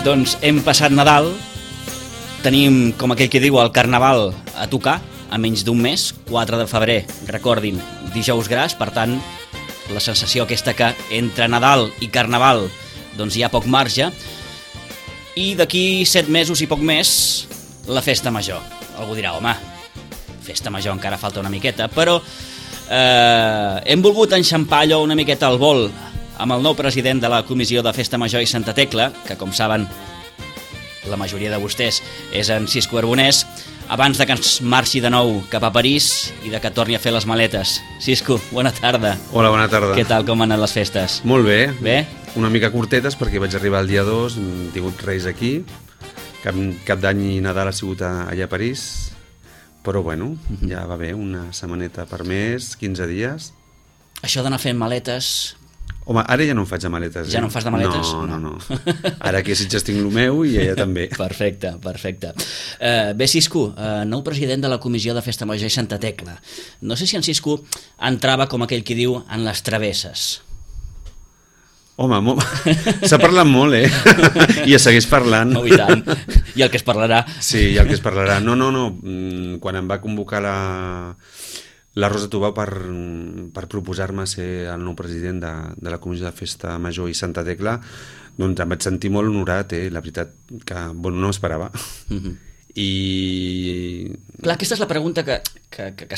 Doncs hem passat Nadal, tenim, com aquell que diu, el Carnaval a tocar, a menys d'un mes, 4 de febrer, recordin, dijous gras, per tant, la sensació aquesta que entre Nadal i Carnaval doncs hi ha poc marge, i d'aquí 7 mesos i poc més, la festa major. Algú dirà, home, festa major encara falta una miqueta, però hem volgut enxampar allò una miqueta al vol amb el nou president de la Comissió de Festa Major i Santa Tecla, que com saben la majoria de vostès és en Cisco Arbonès, abans de que ens marxi de nou cap a París i de que torni a fer les maletes. Cisco, bona tarda. Hola, bona tarda. Què tal, com han anat les festes? Molt bé. Bé? Una mica curtetes perquè vaig arribar el dia 2, hem tingut Reis aquí, cap d'any i Nadal ha sigut allà a París, però bueno, ja va bé, una setmaneta per mes, 15 dies. Això d'anar fent maletes... Home, ara ja no em faig de maletes. Ja no em fas de maletes? No. Ara aquí a Sitges tinc el meu i ella també. Perfecte. Bé, Cisco, nou president de la Comissió de Festa Major i Santa Tecla. No sé si en Cisco entrava, com aquell qui diu, en les travesses. Home, s'ha parlat molt, I es segueix parlant. Oh, i tant. I el que es parlarà. Sí, i el que es parlarà. No. Quan em va convocar la Rosa Tubau per proposar-me ser el nou president de la Comissió de Festa Major i Santa Tecla, doncs em vaig sentir molt honorat, la veritat que no m'esperava. I... Clar, aquesta és la pregunta que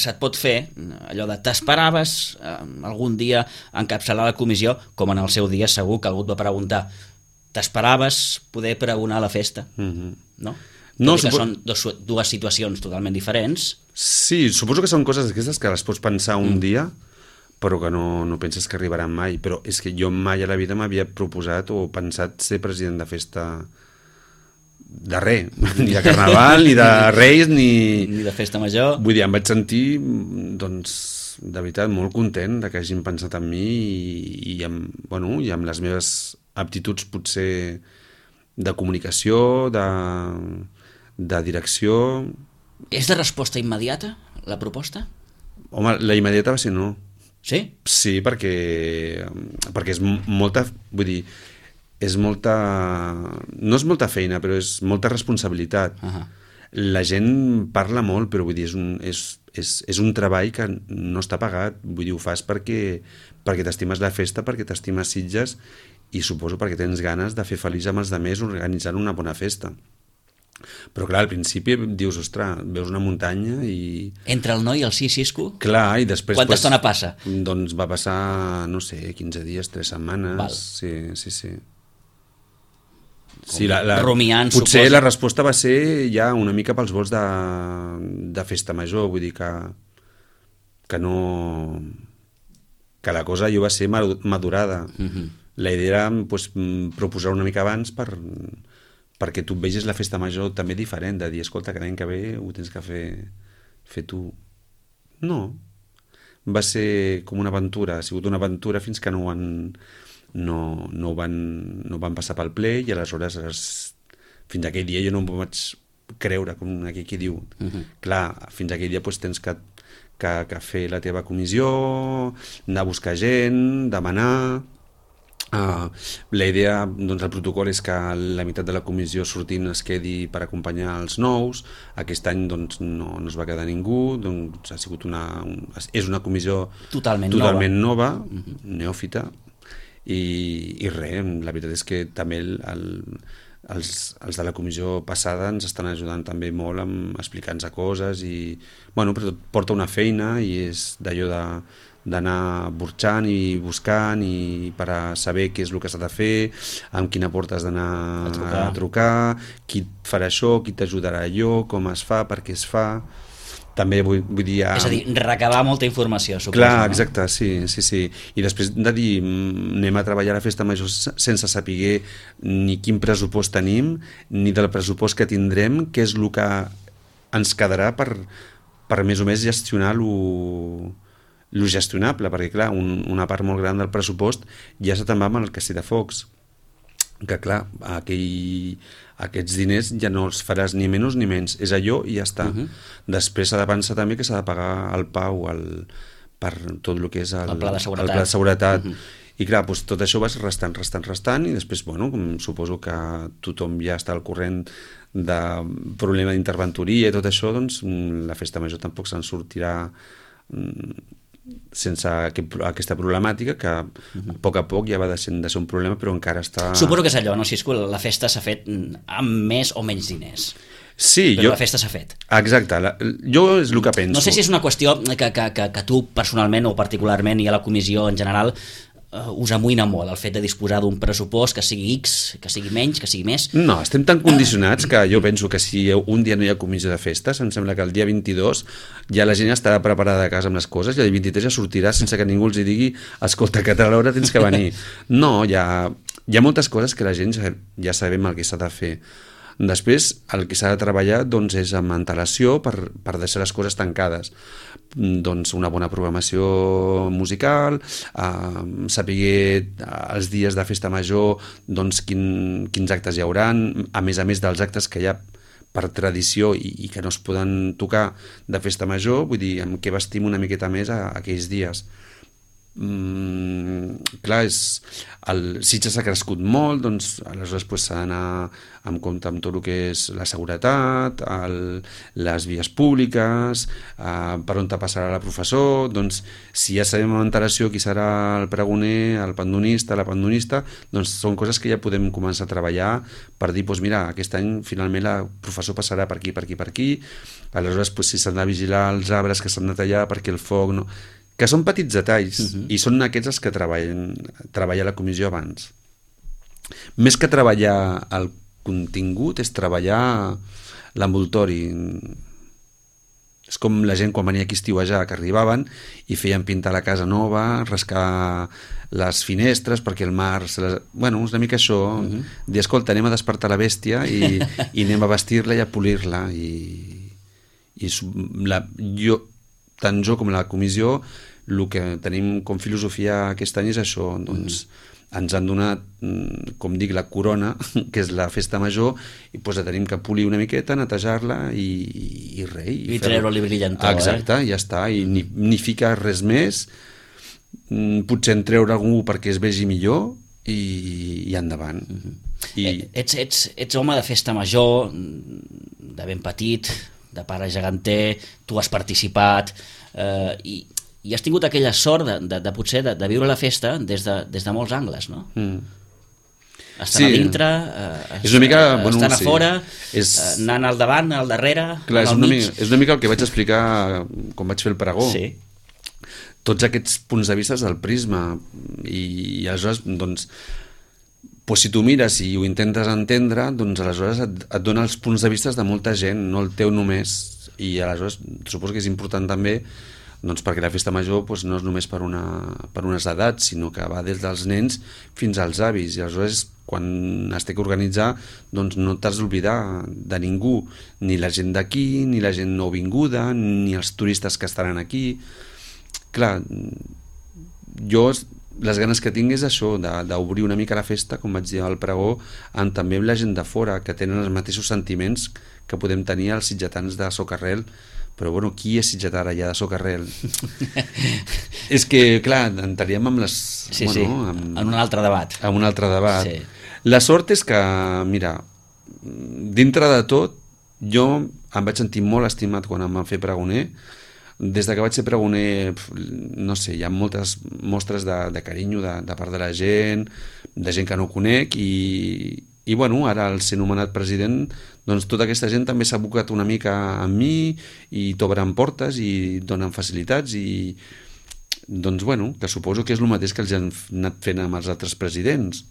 se't pot fer, allò de t'esperaves algun dia encapçalar la comissió, com en el seu dia segur que algú et va preguntar, t'esperaves poder pregonar la festa? No? No, que són dues situacions totalment diferents. Sí, suposo que són coses aquestes que les pots pensar un dia, però que no penses que arribaran mai. Però és que jo mai a la vida m'havia proposat o pensat ser president de festa de res, ni de Carnaval, ni de Reis, ni de festa major. Vull dir, em vaig sentir, doncs, de veritat, molt content de que hagin pensat en mi i amb les meves aptituds potser de comunicació, de direcció. És de resposta immediata, la proposta? Home, la immediata va ser no. Sí? Sí, perquè és molta, vull dir, és molta... No és molta feina, però és molta responsabilitat. La gent parla molt, però vull dir, és un treball que no està pagat. Vull dir, ho fas perquè t'estimes la festa, perquè t'estimes Sitges i suposo perquè tens ganes de fer feliç amb els altres organitzant una bona festa. Però clar, al principi dius, ostres, veus una muntanya i... Entre el no i el sí, Cisco? Clar, i després... Quanta estona passa? Doncs va passar, no sé, 15 dies, 3 setmanes... Val. Sí. Rumiant, potser suposo. la resposta va ser ja una mica pels vols de festa major, vull dir que no... que la cosa jo va ser madurada. La idea era proposar una mica abans perquè tu vegis la festa major també diferent, de dir, escolta, que l'any que ve ho tens que fer tu. No. Va ser com una aventura, ha sigut una aventura fins que no van passar pel ple i aleshores fins aquell dia jo no m'ho vaig creure, com aquell qui diu. Clar, fins aquell dia tens que fer la teva comissió, anar a buscar gent, demanar... la idea, doncs el protocol és que la meitat de la comissió sortint es quedi per acompanyar els nous. Aquest any doncs no es va quedar ningú, doncs ha sigut és una comissió totalment nova, neòfita i res, la veritat és que també els de la comissió passada ens estan ajudant també molt amb explicar-nos coses i, però tot porta una feina i és d'allò d'anar burxant i buscant i per a saber què és el que s'ha de fer, amb quina porta has d'anar a trucar, qui et farà això, qui t'ajudarà allò, com es fa, per què es fa... També vull dir... És a dir, recabar molta informació, suposo. Clar, exacte, sí. I després de dir, anem a treballar a la festa major sense saber ni quin pressupost tenim, ni del pressupost que tindrem, què és el que ens quedarà per més o més gestionar lo gestionable, perquè clar, una part molt gran del pressupost ja se te'n va amb el castell de focs, que clar, aquests diners ja no els faràs ni menys ni menys, és allò i ja està. Després s'ha de pensar també que s'ha de pagar el PAU per tot el que és el pla de seguretat, el pla de seguretat. I clar, doncs, tot això vas restant, i després, bueno, suposo que tothom ja està al corrent de problema d'interventoria i tot això, doncs la festa major tampoc se'n sortirà sense aquesta problemàtica, que a poc ja va deixant de ser un problema, però encara està... Suposo que és allò, no? Si és que la festa s'ha fet amb més o menys diners. Sí, però la festa s'ha fet. Exacte, jo és el que penso. No sé si és una qüestió que tu personalment o particularment i a la comissió en general us amoïna molt el fet de disposar d'un pressupost que sigui X, que sigui menys, que sigui més. No, estem tan condicionats que jo penso que si un dia no hi ha comissió de festes, em sembla que el dia 22 ja la gent estarà preparada a casa amb les coses i el 23 ja sortirà sense que ningú els digui escolta, que a tal hora tens que venir. No, hi ha moltes coses que la gent ja sabem el que s'ha de fer. Després, el que s'ha de treballar doncs, és amb antelació per deixar les coses tancades. Doncs una bona programació musical, saber els dies de festa major doncs, quins actes hi hauran, a més dels actes que hi ha per tradició i que no es poden tocar de festa major, vull dir, amb què vestim una miqueta més aquells dies. Clar, el Sitges ha crescut molt, doncs aleshores s'ha d'anar amb compte amb tot el que és la seguretat, les vies públiques, per on te passarà la professor, doncs si ja sabem amb antelació qui serà el pregoner, el pandonista, la pandonista, doncs són coses que ja podem començar a treballar per dir, doncs mira, aquest any finalment la professor passarà per aquí, aleshores si s'han de vigilar els arbres que s'han de tallar perquè el foc no... que són petits detalls, i són aquests els que treballa la comissió abans. Més que treballar el contingut, és treballar l'envoltori. És com la gent quan venia aquí a estiuejar, que arribaven i feien pintar la casa nova, rascar les finestres perquè el mar... Bueno, és una mica això, dir, escolta, anem a despertar la bèstia i anem a vestir-la i a polir-la. Tant jo com la comissió, el que tenim com filosofia aquest any és això, doncs ens han donat, com dic, la corona, que és la festa major, i doncs la tenim que polir una miqueta, netejar-la i res. I treure-li brillantor. Exacte, ja està, i ni ficar res més, potser en treure algú perquè es vegi millor i endavant. Ets home de festa major, de ben petit, de pare geganter, tu has participat i has tingut aquella sort de potser de viure la festa des de molts angles, no? Estant a dintre, estant a fora, anant al davant, al darrere, al mig. És una mica el que vaig explicar quan vaig fer el pregó. Sí. Tots aquests punts de vista del prisma i aleshores, doncs, si tu mires i ho intentes entendre, doncs aleshores et dona els punts de vista de molta gent, no el teu només, i aleshores suposo que és important també doncs perquè la festa major no és només per unes edats, sinó que va des dels nens fins als avis, i aleshores quan es té que organitzar doncs no t'has d'oblidar de ningú, ni la gent d'aquí, ni la gent nouvinguda, ni els turistes que estaran aquí. Clar, jo les ganes que tinc és això, d'obrir una mica la festa, com vaig dir al pregó, amb també la gent de fora, que tenen els mateixos sentiments que podem tenir els sitgetans de Socarrel, però bueno, qui és sitgetà allà de Socarrel? És que, clar, entraríem amb les... Sí, en un altre debat. En un altre debat. Sí. La sort és que, mira, dintre de tot, jo em vaig sentir molt estimat quan em van fer pregoner. Des que vaig ser pregoner, no sé, hi ha moltes mostres de carinyo de part de la gent, de gent que no conec, i bueno, ara al ser nomenat president, doncs tota aquesta gent també s'ha abocat una mica amb mi i t'obren portes i donen facilitats i doncs bueno, que suposo que és el mateix que els han anat fent amb els altres presidents.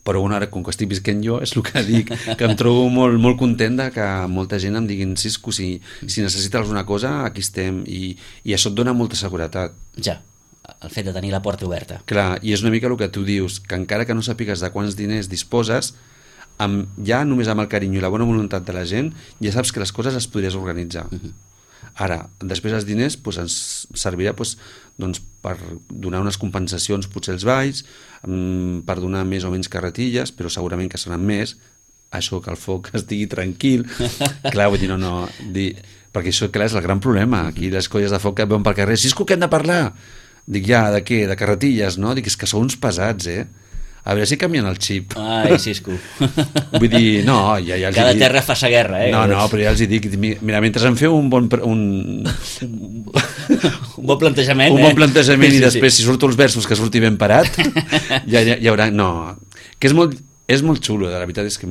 Però bueno, ara com que estic visquent jo és el que dic, que em trobo molt, molt content de que molta gent em diguin Cisco, si necessites alguna cosa aquí estem, i això et dona molta seguretat. Ja, el fet de tenir la porta oberta. Clar, i és una mica el que tu dius, que encara que no sàpigues de quants diners disposes, ja només amb el carinyo i la bona voluntat de la gent ja saps que les coses les podries organitzar. Ara, després els diners ens servirà doncs, per donar unes compensacions potser als balls, per donar més o menys carretilles, però segurament que seran més, això que el foc estigui tranquil. Clar, vull dir, perquè això, clar, és el gran problema. Aquí les colles de foc que veuen pel carrer, Cisco, que hem de parlar? Dic, ja, de què? De carretilles, no? Dic, és que sou uns pesats, A veure si canvien el xip. Ai, Cisco. Vull dir, no, ja els Cada dic... terra fa sa guerra, No, però ja els dic, mira, mentre em feu un bon... Un bon plantejament, un bon plantejament i després, si surto els versos que surti ben parat, ja hi haurà... No, que és molt xulo, la veritat és que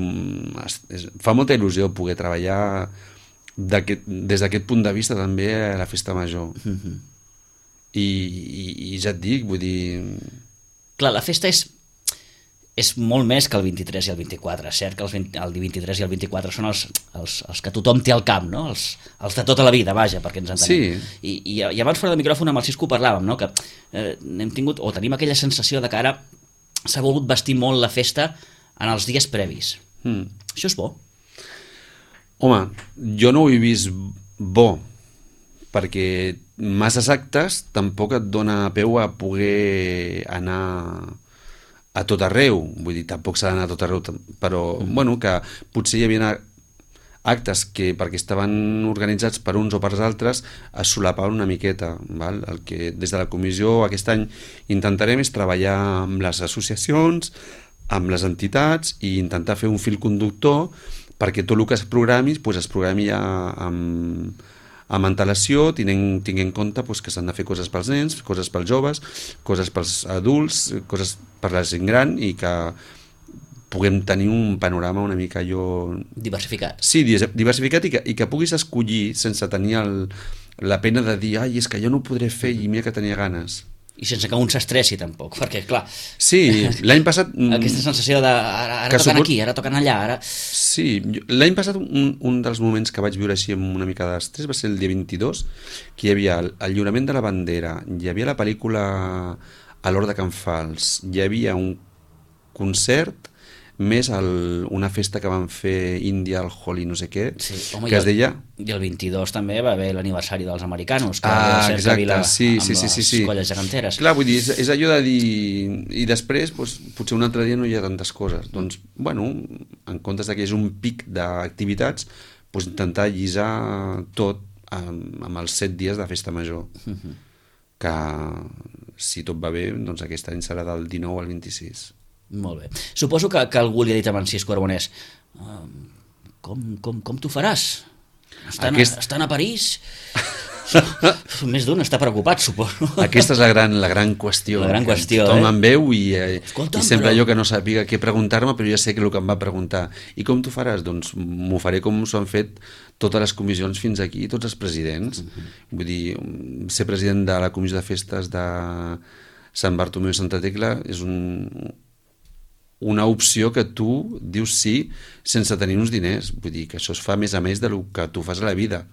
fa molta il·lusió poder treballar des d'aquest punt de vista també a la festa major. I ja et dic, vull dir... Clar, la festa és molt més que el 23 i el 24. És cert que el 23 i el 24 són els que tothom té al camp, no? Els de tota la vida, vaja, perquè ens entenem. Sí. I abans fora de micròfon amb el Cisco parlàvem, no? Que hem tingut, o tenim aquella sensació de que ara s'ha volgut vestir molt la festa en els dies previs. Això és bo? Home, jo no ho he vist bo, perquè masses actes tampoc et dona peu a poder anar a tot arreu, vull dir, tampoc s'ha d'anar a tot arreu, però, bueno, que potser hi havia actes que, perquè estaven organitzats per uns o per altres, es solapaven una miqueta, val? El que des de la comissió aquest any intentarem és treballar amb les associacions, amb les entitats i intentar fer un fil conductor perquè tot el que es programi, doncs es programi ja amb antelació, tinguent en compte que s'han de fer coses pels nens, coses pels joves, coses pels adults, coses per la gent gran i que puguem tenir un panorama una mica diversificat. Sí, diversificat i que puguis escollir sense tenir la pena de dir ai, és que jo no ho podré fer i mira que tenia ganes. I sense que un s'estressi tampoc, perquè clar... Sí, l'any passat... Aquesta sensació de ara toquen aquí, ara toquen allà, ara... Sí, l'any passat un dels moments que vaig viure així amb una mica d'estrès va ser el dia 22, que hi havia el lliurament de la bandera, hi havia la pel·lícula a l'Hort de Can Fals, hi havia un concert més una festa que van fer Índia, el Holi, no sé què, sí, home, que es deia... I el 22 també va haver l'aniversari dels americanos, que exacte, sí, les colles geganteres. Clar, vull dir, és allò de dir... I després, potser un altre dia no hi ha tantes coses. Doncs, bueno, en comptes que és un pic d'activitats, intentar llisar tot amb els 7 dies de festa major. Que, si tot va bé, doncs aquest any serà del 19 al 26. Molt bé. Suposo que algú li ha dit a en Cisco Arbonès com t'ho faràs? Estan a París? Més d'un està preocupat, suposo. Aquesta és la gran qüestió. La gran qüestió, tothom em veu i sempre però... jo que no sàpiga què preguntar-me, però ja sé que el que em va preguntar. I com t'ho faràs? Doncs m'ho faré com s'ho han fet totes les comissions fins aquí, tots els presidents. Vull dir, ser president de la comissió de festes de Sant Bartomeu i Santa Tecla és una opció que tu dius sí sense tenir uns diners. Vull dir que això es fa més a més del que tu fas a la vida.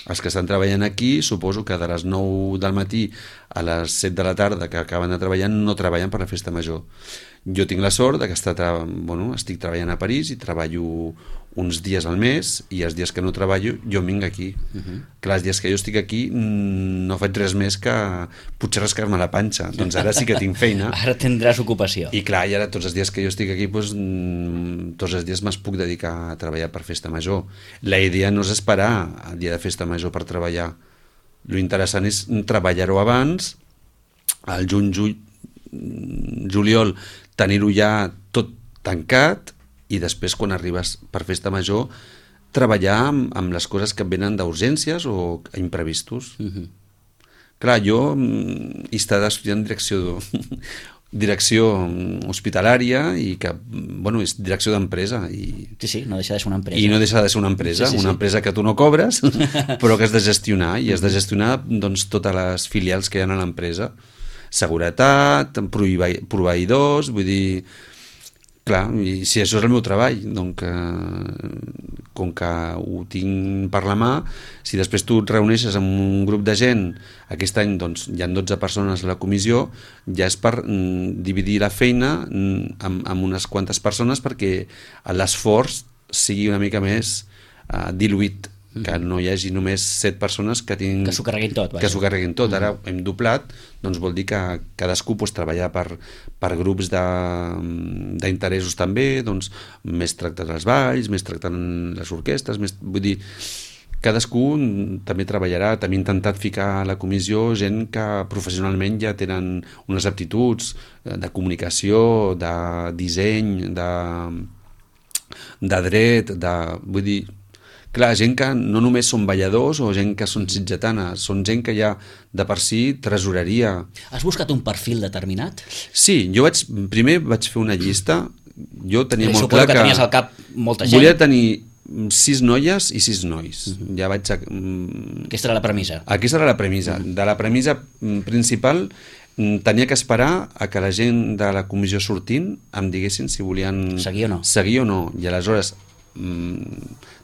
Els que estan treballant aquí, suposo que de les 9 del matí a les 7 de la tarda que acaben de treballar no treballen per la festa major. Jo tinc la sort de que estic treballant a París i treballo uns dies al mes i els dies que no treballo jo vinc aquí. Clar, els dies que jo estic aquí no faig res més que potser rascar-me la panxa. Doncs ara sí que tinc feina. Ara tindràs ocupació. I clar, i ara tots els dies que jo estic aquí tots els dies me'ls puc dedicar a treballar per festa major. La idea no és esperar el dia de festa major per treballar. Lo interessant és treballar-ho abans, al juliol tenir-ho ja tot tancat i després quan arribes per festa major treballar amb les coses que et venen d'urgències o imprevistos. Clar, jo he estat estudiant direcció hospitalària i que, és direcció d'empresa. Sí, no deixa de ser una empresa. I no deixa de ser una empresa, una empresa que tu no cobres, però que has de gestionar, i has de gestionar totes les filials que hi ha a l'empresa. Seguretat, proveïdors, vull dir... Clar, i si això és el meu treball, doncs com que ho tinc per la mà, si després tu et reuneixes amb un grup de gent, aquest any doncs, hi ha 12 persones a la comissió, ja és per dividir la feina amb unes quantes persones perquè l'esforç sigui una mica més diluït, que no hi hagi només 7 persones que s'ho carreguin tot. Que s'ho carreguin tot. Ara hem doblat, doncs vol dir que cadascú treballar per grups d'interessos també, doncs més tractant els balls, més tractant les orquestres, vull dir cadascú també treballarà. També he intentat ficar a la comissió gent que professionalment ja tenen unes aptituds de comunicació, de disseny, de dret, vull dir, clar, gent que no només són balladors o gent que són sitgetanes, són gent que ja de per si tresoreria. Has buscat un perfil determinat? Sí, primer vaig fer una llista. Jo tenia molt clar que tenies al cap molta gent. Volia tenir 6 noies i 6 nois. Ja vaig... Aquesta era la premissa. Aquesta era la premissa. De la premissa principal tenia que esperar a que la gent de la comissió sortint em diguessin si volien seguir o no. I aleshores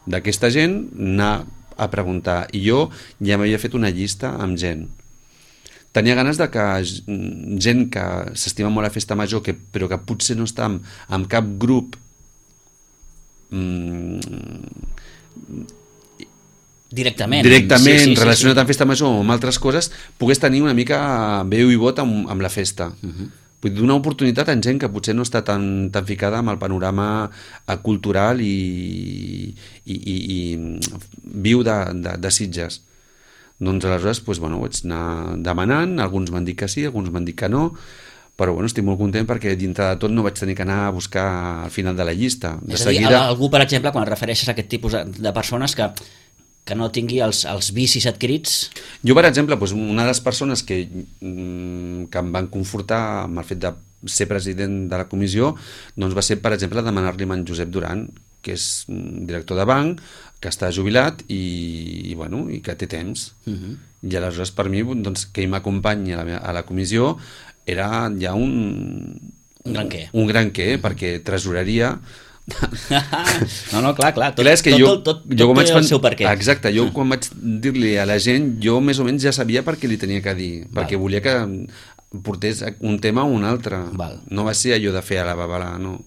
d'aquesta gent anar a preguntar. I jo ja m'havia fet una llista amb gent. Tenia ganes de que gent que s'estima molt la festa major, però que potser no està en cap grup directament sí, relacionat amb festa major o amb altres coses, pogués tenir una mica veu i vot amb la festa. Vull donar oportunitat a gent que potser no està tan ficada amb el panorama cultural i viu de Sitges. Doncs aleshores vaig anar demanant, alguns m'han dit que sí, alguns m'han dit que no, però estic molt content perquè dintre de tot no vaig tenir que anar a buscar al final de la llista. És a dir, algú, per exemple, quan et refereixes a aquest tipus de persones que no tingui els vicis adquirits? Jo, per exemple, una de les persones que em van confortar amb el fet de ser president de la comissió doncs va ser, per exemple, demanar-li a en Josep Duran, que és director de banc, que està jubilat i que té temps. I aleshores per mi que ell m'acompanyi a la comissió era ja un gran què, perquè tresoreria. No, clar, tot té el seu per què. Exacte, jo quan vaig dir-li a la gent, jo més o menys ja sabia per què li tenia que dir, perquè volia que portés un tema o un altre. No va ser allò de fer a la babalà, no.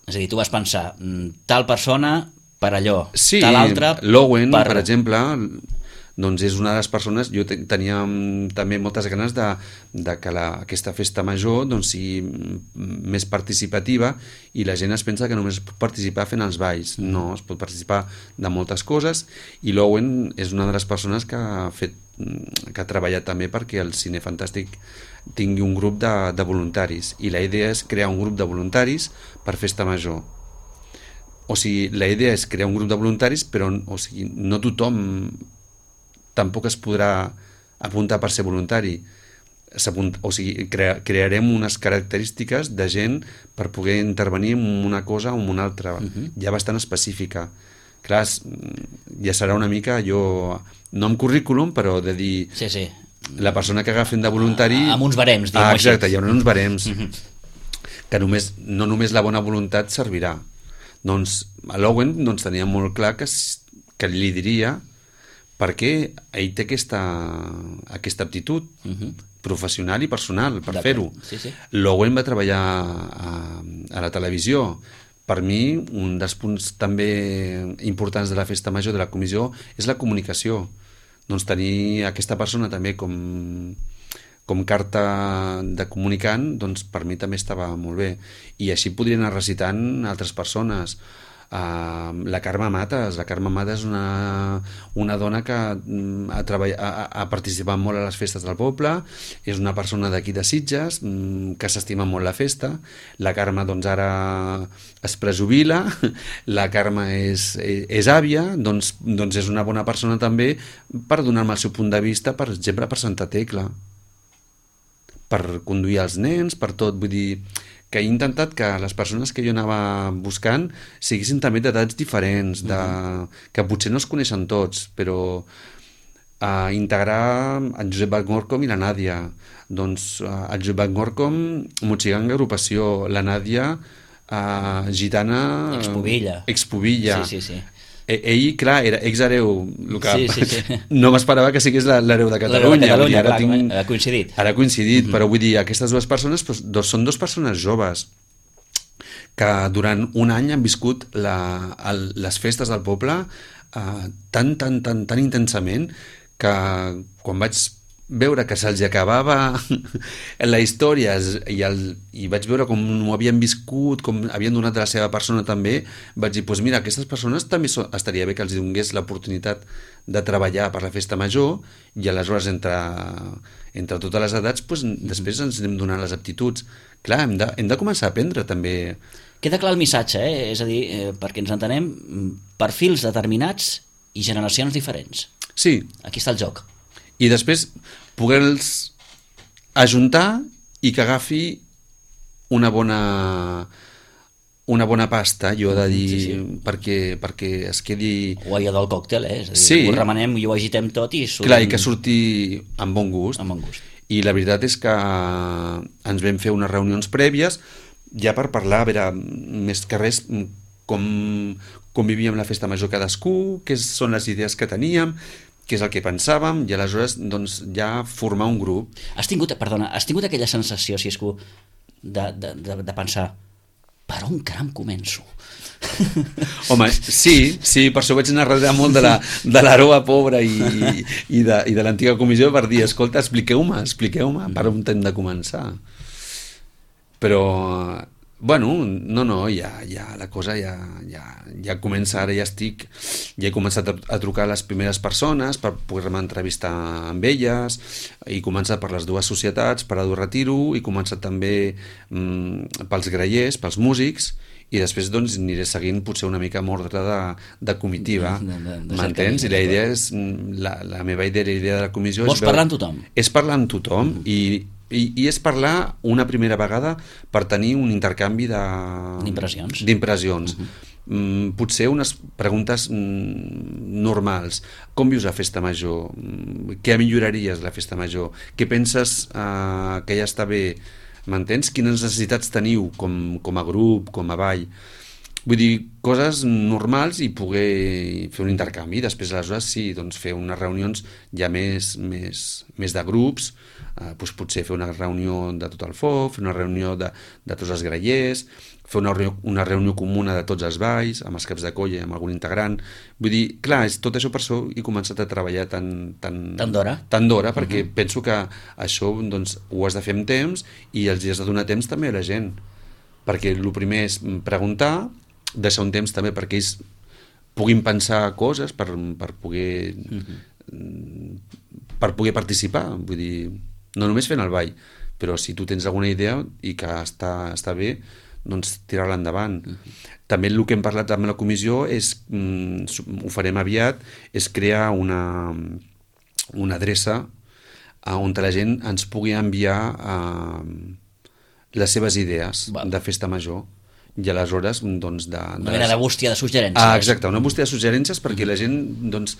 És a dir, tu vas pensar, tal persona per allò, sí, tal altra l'Owen, per exemple, doncs és una de les persones. Jo tenia també moltes ganes de que aquesta festa major sigui més participativa, i la gent es pensa que només es pot participar fent els balls. No, es pot participar de moltes coses, i l'Owen és una de les persones que ha treballat també perquè el Cine Fantàstic tingui un grup de voluntaris, i la idea és crear un grup de voluntaris per festa major. O sigui, la idea és crear un grup de voluntaris, però no tothom tampoc es podrà apuntar per ser voluntari. O sigui, crearem unes característiques de gent per poder intervenir en una cosa o en una altra, ja bastant específica. Clar, ja serà una mica allò, no amb currículum, però de dir... Sí. La persona que agafen de voluntari... Amb uns barems, diguem-ho així. Exacte, hi haurà uns barems. Que no només la bona voluntat servirà. Doncs a l'Owen tenia molt clar que li diria perquè ell té aquesta aptitud professional i personal per fer-ho. L'Owen va treballar a la televisió. Per mi, un dels punts també importants de la festa major de la comissió és la comunicació. Doncs tenir aquesta persona també com carta de comunicant, doncs per mi també estava molt bé. I així podria anar recitant altres persones. La Carme Mates. La Carme Mates és una dona que ha participat molt a les festes del poble, és una persona d'aquí de Sitges, que s'estima molt la festa. La Carme doncs ara es prejubila, la Carme és àvia, doncs és una bona persona també per donar-me el seu punt de vista, per exemple, per Santa Tecla, per conduir els nens, per tot. Vull dir que he intentat que les persones que jo anava buscant siguessin també d'edats diferents, que potser no es coneixen tots, però integrar en Josep Van-Gorcom i la Nàdia. Doncs el Josep Van-Gorcom, Motxiganga, agrupació, la Nàdia, gitana... Expubilla. Sí. Ell, clar, era ex-hereu, no m'esperava que sigués l'hereu de Catalunya. Ha coincidit. Ara ha coincidit, però vull dir, aquestes dues persones són dues persones joves que durant un any han viscut les festes del poble tan intensament que quan vaig veure que se'ls acabava la història i vaig veure com ho havien viscut, com havien donat de la seva persona també, vaig dir, doncs mira, aquestes persones també estaria bé que els donés l'oportunitat de treballar per la festa major i aleshores entre totes les edats després ens anem donant les aptituds. Clar, hem de començar a aprendre també. Queda clar el missatge, és a dir, perquè ens entenem, perfils determinats i generacions diferents. Sí. Aquí està el joc. I després poder-los ajuntar i que agafi una bona pasta, jo he de dir, perquè es quedi... O allò del còctel, és a dir, sí. Ho remenem i ho agitem tot i surti... Clar, i que surti amb bon gust. Amb bon gust. I la veritat és que ens vam fer unes reunions prèvies ja per parlar, a veure, més que res, com vivíem la festa major cadascú, què són les idees que teníem, què és el que pensàvem, i aleshores doncs, ja formar un grup. Has tingut aquella sensació, Cisco, de pensar, per on caram començo? Home, sí, per això vaig narrar molt de l'Aroa pobra i de l'antiga comissió per dir, escolta, expliqueu-me per on hem de començar. Però bueno, no, ja la cosa ja comença, ara ja he començat a trucar a les primeres persones per poder-me entrevistar amb elles, he començat per les dues societats, per Ado Retiro, he començat també pels grallers, pels músics, i després doncs aniré seguint potser una mica amb ordre de comitiva, m'entens? I la idea és, la meva idea i la idea de la comissió Vols parlar amb tothom? És parlar amb tothom i és parlar una primera vegada per tenir un intercanvi d'impressions. Potser unes preguntes normals. Com vius la festa major? Què milloraries la festa major? Què penses que ja està bé? M'entens? Quines necessitats teniu com a grup, com a ball? Vull dir, coses normals i poder fer un intercanvi. Després, aleshores, sí, doncs fer unes reunions ja més de grups, doncs potser fer una reunió de tot el FOF, fer una reunió de tots els grallers, fer una reunió comuna de tots els balls, amb els caps de colla i amb algun integrant. Vull dir, clar, tot això per això he començat a treballar tan d'hora, perquè penso que això doncs, ho has de fer amb temps i els has de donar temps també a la gent. Perquè el primer és preguntar, deixar un temps també perquè ells puguin pensar coses per poder participar. Vull dir, no només fent el ball, però si tu tens alguna idea i que està bé, doncs tirar-la endavant. També el que hem parlat amb la comissió és, ho farem aviat, és crear una adreça on la gent ens pugui enviar les seves idees de festa major. I aleshores doncs una mena de bústia de suggerències. Exacte, una bústia de suggerències perquè la gent doncs,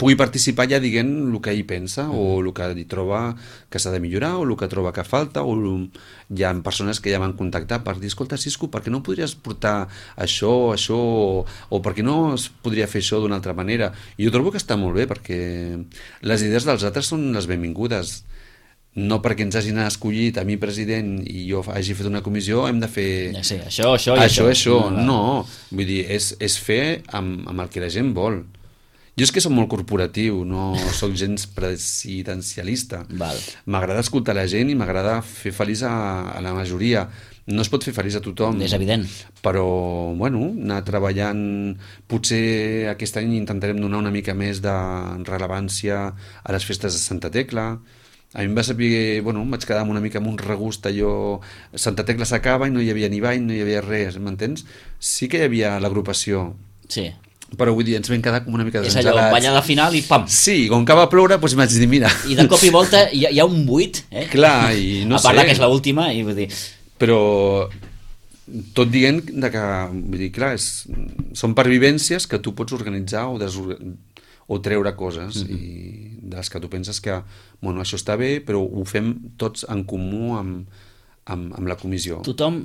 pugui participar ja dient el que ell pensa o el que hi troba que s'ha de millorar o el que troba que falta, o hi ha persones que ja m'han contactat per dir, escolta Cisco, per què no podries portar això o per què no es podria fer això d'una altra manera? I jo trobo que està molt bé perquè les idees dels altres són les benvingudes. No perquè ens hagin escollit a mi president i jo hagi fet una comissió hem de fer això. No, vull dir, és fer amb el que la gent vol. Jo és que soc molt corporatiu, no soc gens presidencialista. M'agrada escoltar la gent i m'agrada fer feliç a la majoria. No es pot fer feliç a tothom. És evident. Però, bueno, anar treballant... Potser aquest any intentarem donar una mica més de rellevància a les festes de Santa Tecla. A mi em va saber, bueno, em vaig quedar una mica amb un regust allò... Santa Tecla s'acaba i no hi havia ni ball, no hi havia res, m'entens? Sí que hi havia l'agrupació. Sí. Però vull dir, ens vam quedar com una mica desengelats. És allò, ballada final i pam! Sí, com que va ploure, doncs vaig dir, mira... I de cop i volta hi ha un buit, eh? Clar, i no sé... A part que és l'última, i vull dir... Però tot dient que, vull dir, clar, són pervivències que tu pots organitzar o treure coses i de les que tu penses que bueno, això està bé, però ho fem tots en comú amb la comissió. Tothom,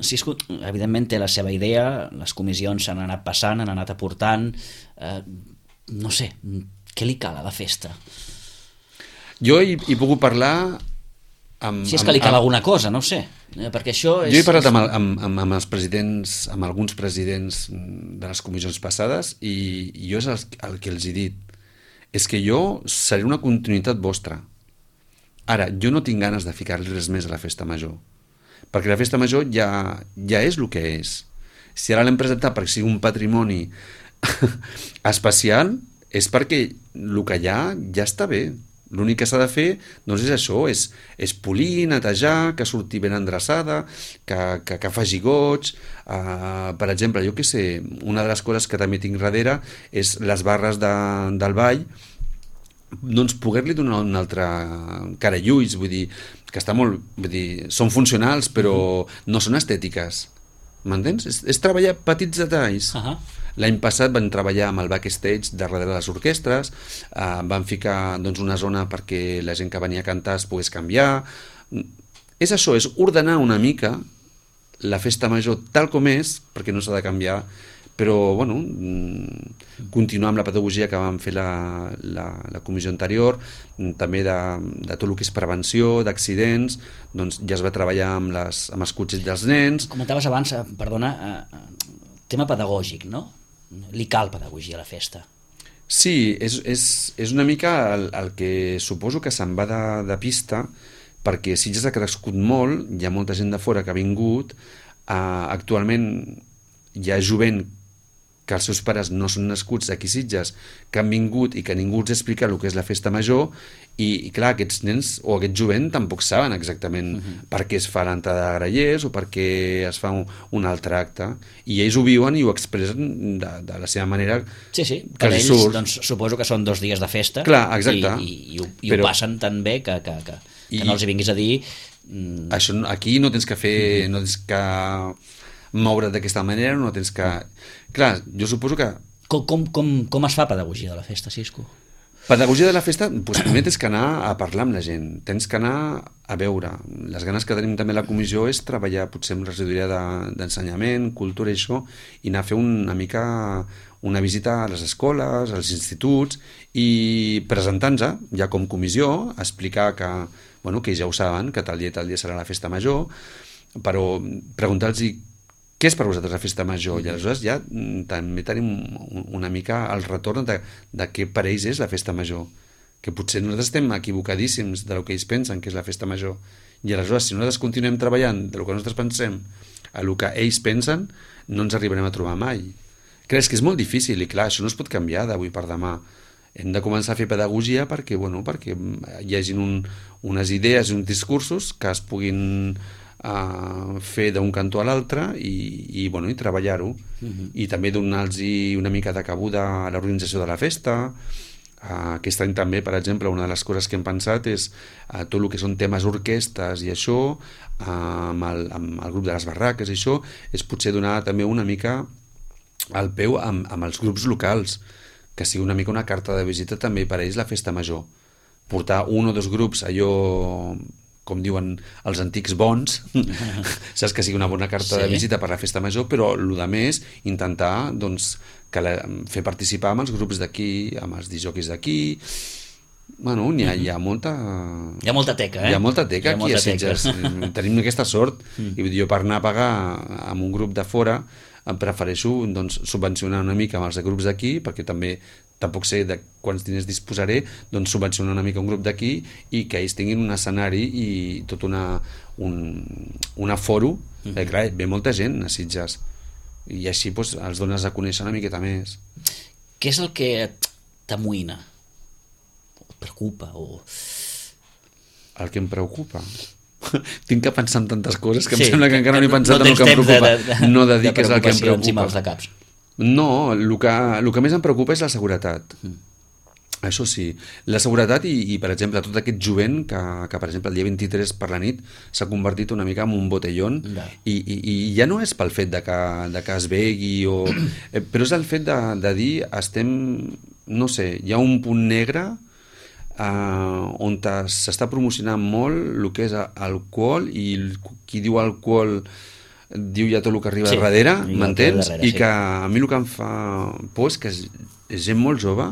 evidentment, té la seva idea, les comissions s'han anat passant, han anat aportant, no sé, què li cal a la festa? Jo hi puc parlar si és que li cal alguna cosa, no ho sé, perquè això és... Jo he parlat amb els presidents, amb alguns presidents de les comissions passades i jo és el que els he dit, és que jo seré una continuïtat vostra. Ara, jo no tinc ganes de ficar-li res més a la festa major, perquè la festa major ja és el que és. Si ara l'hem presentat perquè sigui un patrimoni especial, és perquè el que hi ha ja està bé. L'únic que s'ha de fer doncs és això, és polir, netejar, que surti ben endreçada, que faci goig. Per exemple, jo què sé, una de les coses que també tinc darrere és les barres del ball, doncs poder-li donar una altra cara i ulls, vull dir, que està molt, vull dir, són funcionals però no són estètiques, m'entens? És treballar petits detalls. L'any passat vam treballar amb el backstage darrere de les orquestres, vam ficar doncs, una zona perquè la gent que venia a cantar es pogués canviar. És això, és ordenar una mica la festa major tal com és, perquè no s'ha de canviar, però bueno, continuar amb la pedagogia que vam fer la comissió anterior, també de tot el que és prevenció d'accidents, doncs ja es va treballar amb els cotxets dels nens. Comentaves abans, perdona, tema pedagògic, no? Li cal pedagogia a la festa. Sí, és una mica el que suposo que se'n va de pista, perquè Sitges ha crescut molt, hi ha molta gent de fora que ha vingut, actualment hi ha jovent que els seus pares no són nascuts aquí a Sitges, que han vingut i que ningú els explica el que és la festa major, i clar, aquests nens o aquest jovent tampoc saben exactament per què es fa l'entrada de grallers o per què es fa un altre acte, i ells ho viuen i ho expressen de la seva manera. Sí, per ells doncs, suposo que són 2 dies de festa. Clar, exacte. I ho passen tan bé que no els hi vinguis a dir... Això, aquí no tens que fer, no tens que moure't d'aquesta manera, no tens que... Clar, jo suposo que... Com es fa pedagogia de la festa, Cisco? Pedagogia de la festa, doncs primer tens que anar a parlar amb la gent, tens que anar a veure. Les ganes que tenim també a la comissió és treballar potser amb regidoria d'ensenyament, cultura i això, i anar a fer una mica una visita a les escoles, als instituts, i presentar-nos ja com comissió, explicar que ells ja ho saben, que tal dia serà la festa major, però preguntar-los què és per vosaltres la festa major? I aleshores ja també tenim una mica el retorn de què per ells és la festa major, que potser nosaltres estem equivocadíssims del que ells pensen que és la festa major, i aleshores si nosaltres continuem treballant del que nosaltres pensem a el que ells pensen, no ens arribarem a trobar mai. Creus que és molt difícil, i clar, això no es pot canviar d'avui per demà. Hem de començar a fer pedagogia perquè hi hagin unes idees i uns discursos que es puguin fer d'un cantó a l'altre i treballar-ho, i també donar-los una mica de cabuda a l'organització de la festa. Aquest any també, per exemple, una de les coses que hem pensat és tot el que són temes orquestes i això, amb el grup de les barraques i això, és potser donar també una mica el peu amb els grups locals, que sigui una mica una carta de visita també per a ells la festa major, portar 1 o 2 grups, allò com diuen els antics bons, saps, que sigui una bona carta de visita per la festa major, però el que més intentar fer participar amb els grups d'aquí, amb els disjòqueis d'aquí. Hi ha molta... Hi ha molta teca, Hi ha molta teca aquí a Sitges. Tenim aquesta sort, i jo per anar a pagar amb un grup de fora em prefereixo subvencionar una mica amb els grups d'aquí, perquè tampoc sé de quants diners disposaré, doncs subvencionar una mica un grup d'aquí i que ells tinguin un escenari i tot un aforo, clar, ve molta gent a Sitges i així els dones a conèixer una miqueta més. Què és el que t'amoïna? O et preocupa? El que em preocupa? Tinc que pensar en tantes coses que em sembla que encara no he pensat en el que em preocupa. No de dir que és el que em preocupa. No, el que més em preocupa és la seguretat. Això sí, la seguretat i per exemple, tot aquest jovent que per exemple, el dia 23 per la nit s'ha convertit una mica en un botellón, i ja no és pel fet de que es begui, però és el fet de dir, no sé, hi ha un punt negre on s'està promocionant molt el que és alcohol, i qui diu alcohol diu ja tot el que arriba darrere, m'entens? I que a mi el que em fa por és que és gent molt jove,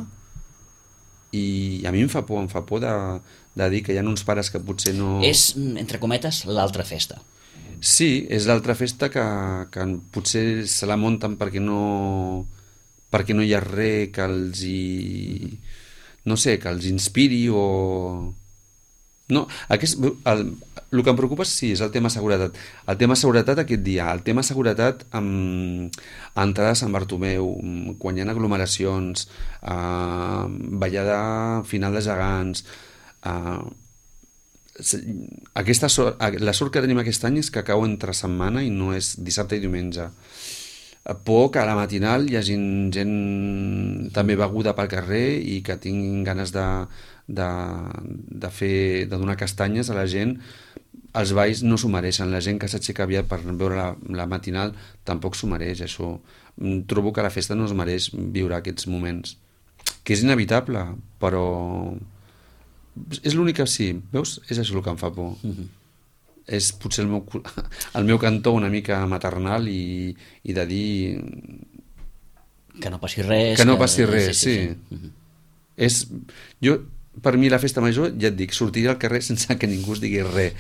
i a mi em fa por de dir que hi ha uns pares que potser no... És, entre cometes, l'altra festa. Sí, és l'altra festa que potser se la munten perquè no hi ha res que els no sé, que els inspiri o No, el que em preocupa sí, és el tema seguretat. El tema seguretat aquest dia, el tema seguretat amb entrada a Sant Bartomeu, quan hi ha aglomeracions, ballada final de gegants, la sort que tenim aquest any és que cau entre setmana i no és dissabte i diumenge. Por que a la matinal hi hagi gent també beguda pel carrer i que tinguin ganes de donar castanyes a la gent. Els balls no s'ho mereixen, la gent que s'aixeca aviat per veure la matinal tampoc s'ho mereix, això. Trobo que la festa no es mereix viure aquests moments, que és inevitable, però és l'únic que sí, veus? És això el que em fa por. És potser el meu cantó una mica maternal i de dir que no passi res, que no passi res, sí. Per mi la festa major, ja et dic, sortiré al carrer sense que ningú es digui res,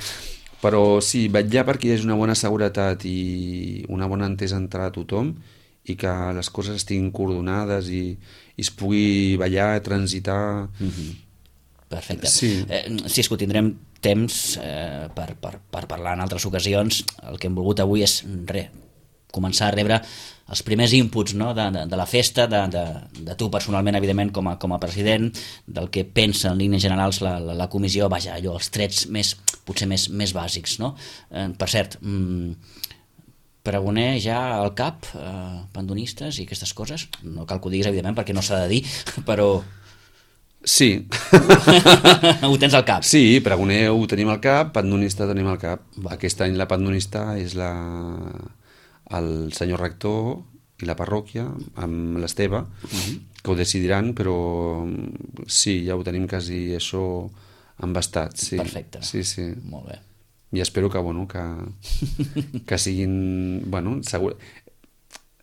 però sí, vetllar perquè hi hagi una bona seguretat i una bona entesa entre tothom i que les coses estiguin coordonades i es pugui ballar, transitar. Perfecte. Sí. Cisco, tindrem temps per parlar en altres ocasions. El que hem volgut avui és començar a rebre els primers inputs, no? de la festa, de tu personalment, evidentment, com a president, del que pensa en línies generals la comissió, vaja, allò, els trets potser més bàsics, no? Per cert, pregoner ja al cap, pandonistes i aquestes coses, no cal que ho diguis, evidentment, perquè no s'ha de dir, però... Sí. Ho tens al cap. Sí, pregoner ho tenim al cap, pandonista tenim al cap. Aquest any la pandonista és el senyor rector i la parròquia, amb l'Esteve, que ho decidiran, però sí, ja ho tenim quasi això embastat. Sí. Perfecte. Sí, sí. Molt bé. I espero que, bueno, que siguin... Bueno, segur...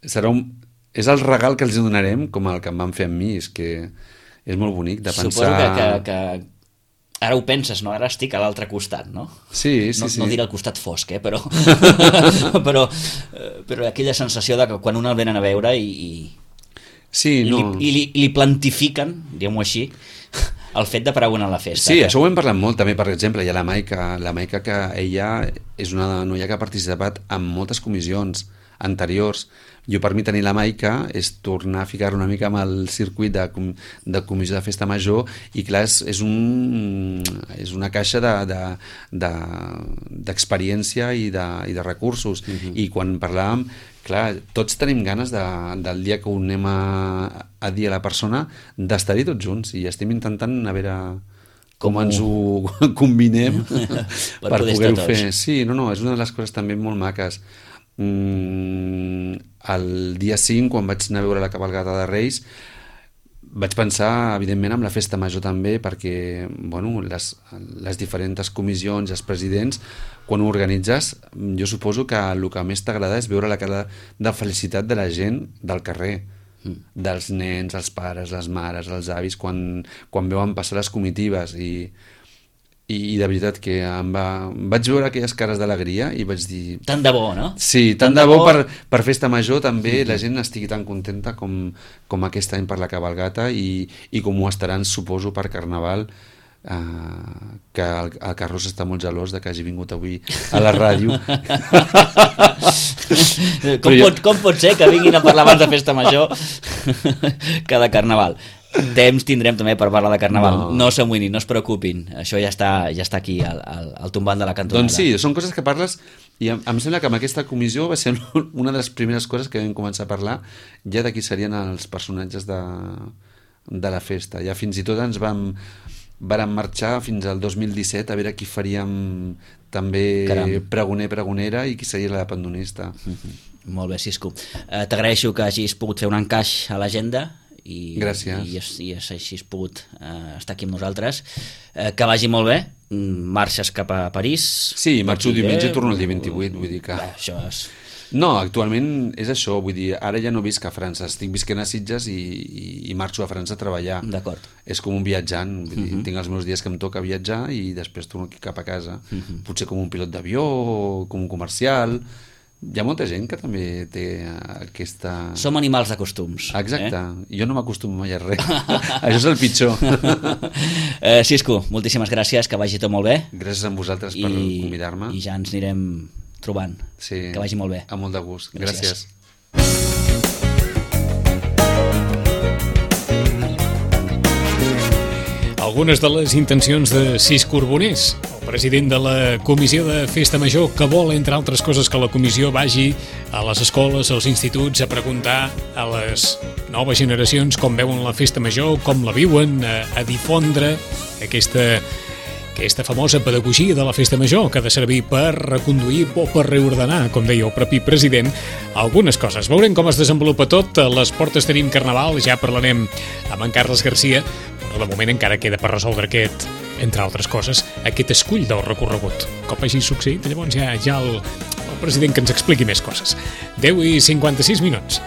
És el regal que els donarem, com el que em van fer amb mi, és que és molt bonic de pensar... Suposo que ara ho penses, no? Ara estic a l'altre costat, no? Sí. No diré al costat fosc, però aquella sensació de que quan un el venen a veure i li plantifiquen, diguem-ho així, el fet de pregonar a la festa. Sí, això ho hem parlat molt també, per exemple, hi ha la Maica que ella és una noia que ha participat en moltes comissions anteriors. Jo, per mi, tenir la Maica és tornar a ficar una mica amb el circuit de comissió de festa major i, clar, és una caixa d'experiència i de recursos. I quan parlàvem, clar, tots tenim ganes del dia que ho anem a dir a la persona d'estar-hi tots junts i estem intentant a veure com ens ho combinem per poder-ho fer. Sí, no, és una de les coses també molt maques. El dia 5, quan vaig anar a veure la cabalgata de Reis, vaig pensar, evidentment, en la festa major també, perquè, bueno, les diferents comissions, els presidents, quan ho organitzes, jo suposo que el que més t'agrada és veure la cara de felicitat de la gent del carrer, dels nens, els pares, les mares, els avis, quan veuen passar les comitives i de veritat que vaig veure aquelles cares d'alegria i vaig dir... Tant de bo, no? Sí, tant de bo per festa major també la gent estigui tan contenta com aquest any per la cabalgata i com ho estaran, suposo, per Carnaval, que el Carròs està molt gelós de que hagi vingut avui a la ràdio. Com pot ser que vinguin a parlar abans de festa major que de Carnaval? Temps tindrem també per parlar de Carnaval. No s'amoïnin, no es preocupin. Això ja està aquí, al tombant de la cantonada. Doncs sí, són coses que parles i em sembla que amb aquesta comissió va ser una de les primeres coses que vam començar a parlar ja de qui serien els personatges de la festa. Ja fins i tot ens vàrem marxar fins al 2017 a veure qui faríem també pregonera i qui seria la pandonista. Molt bé, Cisco. T'agraeixo que hagis pogut fer un encaix a l'agenda gràcies. I així has pogut estar aquí amb nosaltres. Que vagi molt bé. Marxes cap a París. Sí, marxo diumenge i torno el dia 28, vull dir que... Això és... No, actualment és això, vull dir, ara ja no visc a França, estic visquent a Sitges i marxo a França a treballar. D'acord. És com un viatjant, vull dir, tinc els meus dies que em toca viatjar i després torno aquí cap a casa. Potser com un pilot d'avió o com un comercial... Hi ha molta gent que també té aquesta... Som animals de costums. Exacte. Jo no m'acostumo mai a res. Això és el pitjor. Cisco, moltíssimes gràcies, que vagi tot molt bé. Gràcies a vosaltres per convidar-me. I ja ens anirem trobant. Sí, que vagi molt bé. Amb molt de gust. Gràcies. Algunes de les intencions de Cisco Urbonès, el president de la Comissió de Festa Major, que vol, entre altres coses, que la comissió vagi a les escoles, als instituts, a preguntar a les noves generacions com veuen la Festa Major, com la viuen, a difondre aquesta famosa pedagogia de la Festa Major, que ha de servir per reconduir o per reordenar, com deia el propi president, algunes coses. Veurem com es desenvolupa tot. A les portes tenim Carnaval, ja parlarem amb en Carles Garcia, però de moment encara queda per resoldre aquest, entre altres coses, aquest escull del recorregut. Com hagi succeït, llavors ja el president que ens expliqui més coses. 10:56.